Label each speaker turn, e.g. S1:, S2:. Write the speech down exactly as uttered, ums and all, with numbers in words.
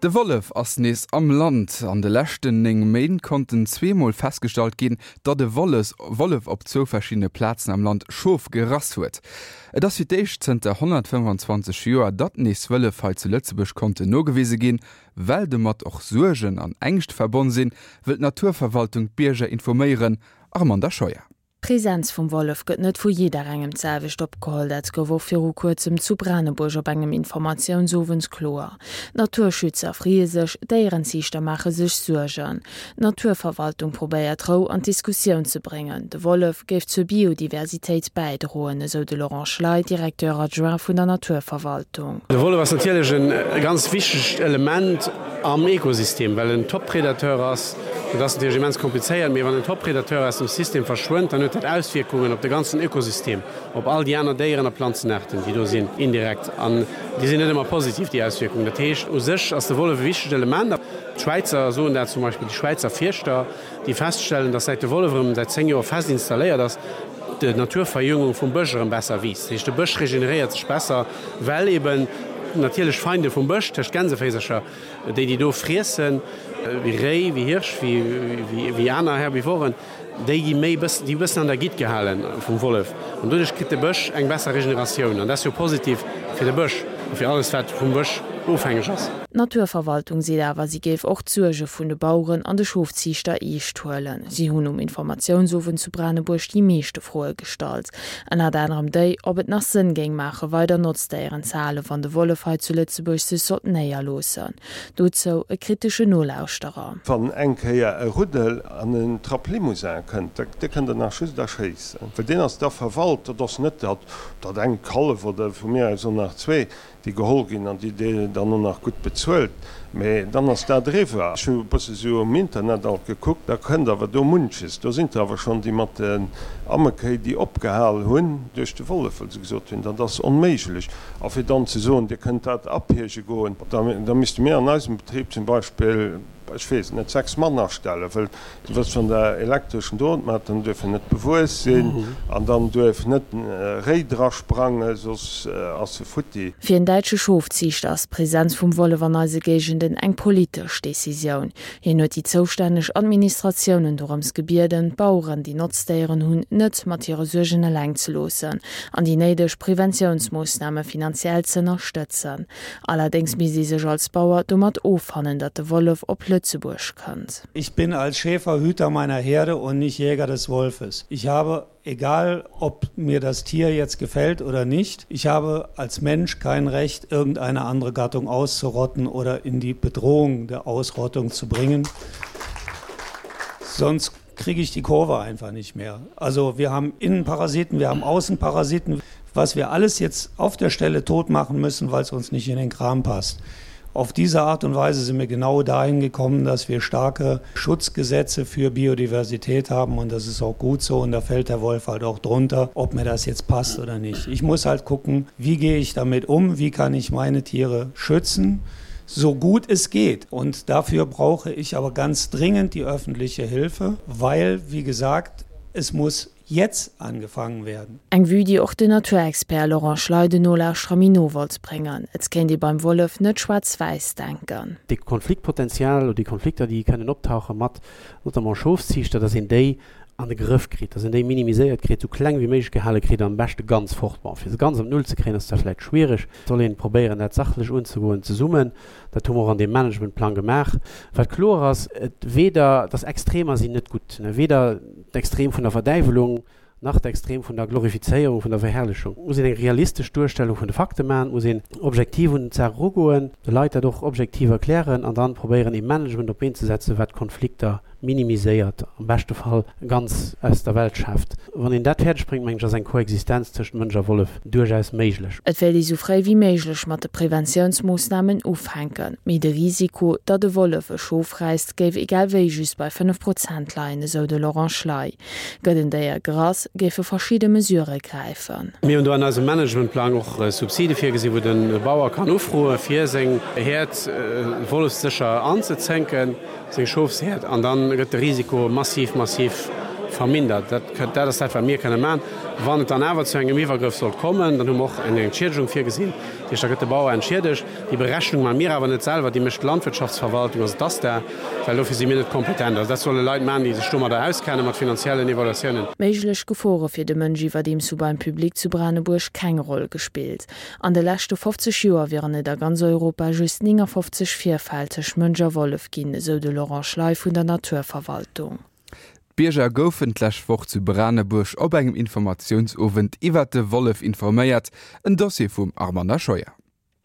S1: De Wollef ass nees am Land. An de leschten néng Méint konnten zweemol festgestallt ginn, datt e Wolles Wollef op zwou verschiddene Plazen am Land Schof gerass huet. Et ass fir d'éischt zënter honnertfënnefanzwanzeg Joer, datt nees Wëllef hei zu Lëtzebuerg konnten nogewise ginn. Well domat och Suergen an Ängscht verbonn sinn, wëll d'Naturverwaltung d'Bierger informéieren. Armanda Scheuer.
S2: D'Presenz vum Wollef gëtt net vu jidderengem d'selwecht opgeholl. Dat gouf och viru kuerzem zu Branebuerg op engem Informatiounsowend kloer. Naturschützer freeë sech, Déierenziichter maache sech Suergen. D'Naturverwaltung probéiert Rou an d'Diskussioun ze bréngen. De Wollef géif zur Biodiversitéit bäidroen, esou de Laurent Schley, Directeur adjoint vun der Naturverwaltung.
S3: De Wollef ass natierlech e ganz wichtegt Element am Ekosystem, well en Top-Predateur ass. Dat ass natierlech immens komplizéiert, mee wann en Top-Predateur aus dem System verschwënnt, dann huet dat Auswierkungen op de ganzen Ökosystem, op all déi aner Déieren a Planzenaarten, déi do sinn, indirekt. An déi sinn net ëmmer positiv, déi Auswierkungen. Dat heescht, u sech ass de Wollef e wichtegt Element. D'Schwäizer soen dat zum Beispill, déi Schwäizer Fierschter, déi feststellen, dass säit de Wollef erëm säit zéng Joer fest installéiert ass, d'Naturverjüngung vum Bësch erëm besser wiisst. Dat heescht, de Bësch regeneréiert sech besser, well eben natierlech Feinde vum Bësch, tëscht Gänseféisercher, déi déi do friessen, wéi Réi, wéi Hirsch, wéi aner Herbivoren, déi gi méi bëssen, déi bëssen an der Gitt gehale vum Wollef an doduerch kritt de Bësch eng besser Regeneratioun an dat ass jo positiv fir de Bësch a fir alles wat vum Bësch ofhängeg ass.
S2: D'Naturverwaltung seet awer, si géif och d'Suerge vun de Baueren an de Schofziichter eescht huelen. Si hunn um Informatiounsowend zu Branebuerg déi meeschte Froe gestallt. Ënnert anerem déi, ob et nach Sënn géing maache weider Notzdéieren ze halen, wann de Wollef hei zu Lëtzebuerg sech sollt néierloossen. Dozou e kritesche Nolauschterer.
S4: Wann eng Kéier e Ruddel an en Trapp Limousin kënnt, dee kënnt Der nach just erschéissen, well deen ass da verwalt. Dat ass net dat, dat eng Kallef oder vu mir aus och nach zwee, déi geholl ginn an déi dir dann och nach gutt bezuelt, mä dann ass dat eriwwer. Ech hu e bësse sou um Internet alt gekuckt, da kënnt awer do munches. Do sinn der awer schonn, déi mat den Ammekéi, déi opgehal hunn duerch de Wollef, well se gesot hunn, dat ass onméiglech. A fir dann ze soen, dir kënnt dat apiege goen, da misste mir an eisem Betrib zum Beispill, ech weess et net, sechs Mann astellen, well du wëss, wann der elektreschen Drot maacht, dann duerf en net bewuess sinn an dann duerf net e Réi drasprangen, soss ass e futti.
S2: Fir en däitsche Schofziichter ass d'Presenz vum Wollef an eise Géigenden eng politesch Decisioun. Hien huet déi zoustänneg Administratiounen dorëms gebieden, d'Baueren, déi Notzdéieren hunn, net mat hire Suergen eleng ze loossen an déi néideg Preventiounsmoossname finanziell z'ënnerstëtzen. Allerdéngs misst ee sech als Bauer domat offannen, datt de Wollef op Lëtzebuerg kënnt.
S5: Ich bin als Schäfer Hüter meiner Herde und nicht Jäger des Wolfes. Ich habe, egal ob mir das Tier jetzt gefällt oder nicht, ich habe als Mensch kein Recht, irgendeine andere Gattung auszurotten oder in die Bedrohung der Ausrottung zu bringen. Sonst kriege ich die Kurve einfach nicht mehr. Also wir haben Innenparasiten, wir haben Außenparasiten, was wir alles jetzt auf der Stelle tot machen müssen, weil es uns nicht in den Kram passt. Auf diese Art und Weise sind wir genau dahin gekommen, dass wir starke Schutzgesetze für Biodiversität haben und das ist auch gut so und da fällt der Wolf halt auch drunter, ob mir das jetzt passt oder nicht. Ich muss halt gucken, wie gehe ich damit um, wie kann ich meine Tiere schützen, so gut es geht. Und dafür brauche ich aber ganz dringend die öffentliche Hilfe, weil, wie gesagt, es muss jetzt angefangen werden.
S2: Eng Vue, déi och den Naturexpert Laurent Schley den Nolauschterer méi no wollt bréngen, Et kéint ee beim Wollef net schwaarz-wäiss denken.
S3: Dee Konfliktpotenzial oder déi Konflikter, déi kënnen optauche mat notamment Schofsziichter, dass een déi an de Grëff kritt, dass een déi minimiséiert kritt, sou kleng wéi méiglech gehale kritt an am beschte ganz fort. Bon, fir se ganz op Null ze kréien, ass zwar vläicht schwiereg, et soll een probéieren, dat sachlech unzegoen zesummen. Dat hu mer och an deem Managementplang gemaach. Wat kloer ass, et weder, dass Extremer sinn net gutt, weder d'Extrem vun der Verdäiwelung nach d'Extrem vun der Glorifizéierung, vun der Verherrlechung. Et muss een eng realistesch Duerstellung vun de Fakte maachen, et muss een objektiv un d'Saach erugoen, de Leit dat och objektiv erklären an dann probéieren ee Management op d'Been ze setzen, wat d'Konflikter minimiséiert, am beschte Fall ganz aus der Welt schaaft. Wann een dat fäerdeg bréngt, mengen ech, ass eng Koexistenz tëscht Mënsch a Wollef duerchaus méiglech.
S2: Et wéilt ee sou fréi wéi méiglech mat de Preventiounsmoossnamen ufänken, mee de Risiko, datt e Wollef e Schof räisst, géif egal wéi just bei fënnef Prozent leien, esou de Laurent Schley. Gëtt en Déier gerass, géife verschidde Mesurë gräifen.
S3: Mir hunn do an eisem Managementplang och Subside virgesinn, wou de Bauer kann ufroe fir seng Häerd wollefssécher anzezénken, seng Schofshäerd, an da gëtt de Risiko massiv, massiv vermindert. Dat, dat ass dat, wat mir kënne maachen. Wann et dann awer zu engem Iwwergrëff sollt kommen, dann hu mer och eng Entschiedegung virgesinn. Dat heescht, da gëtt de Bauer entschiedegt. Déi Berechnung maache mir awer net selwer, déi mécht d'Landwirtschaftsverwaltung, also d'ASTA, well dofir si mir net kompetent. Also dat solle Leit maachen, déi sech domadder auskennen, mat finanziellen Evaluatiounen.
S2: Méiglech Gefore fir de Mënsch iwwerdeems hu beim Public zu Branebuerg keng Roll gespillt. An de leschte fofzeg Joer wieren et a ganz Europa just néngafofzeg Virfäll tëscht Mënsch a Wollef ginn, esou de Laurent Schley vun der Naturverwaltung.
S1: D'Bierger goufen d'lescht Woch zu Branebuerg op engem Informatiounsowend iwwert de Wollef informéiert. En Dossier vum Armanda Scheuer.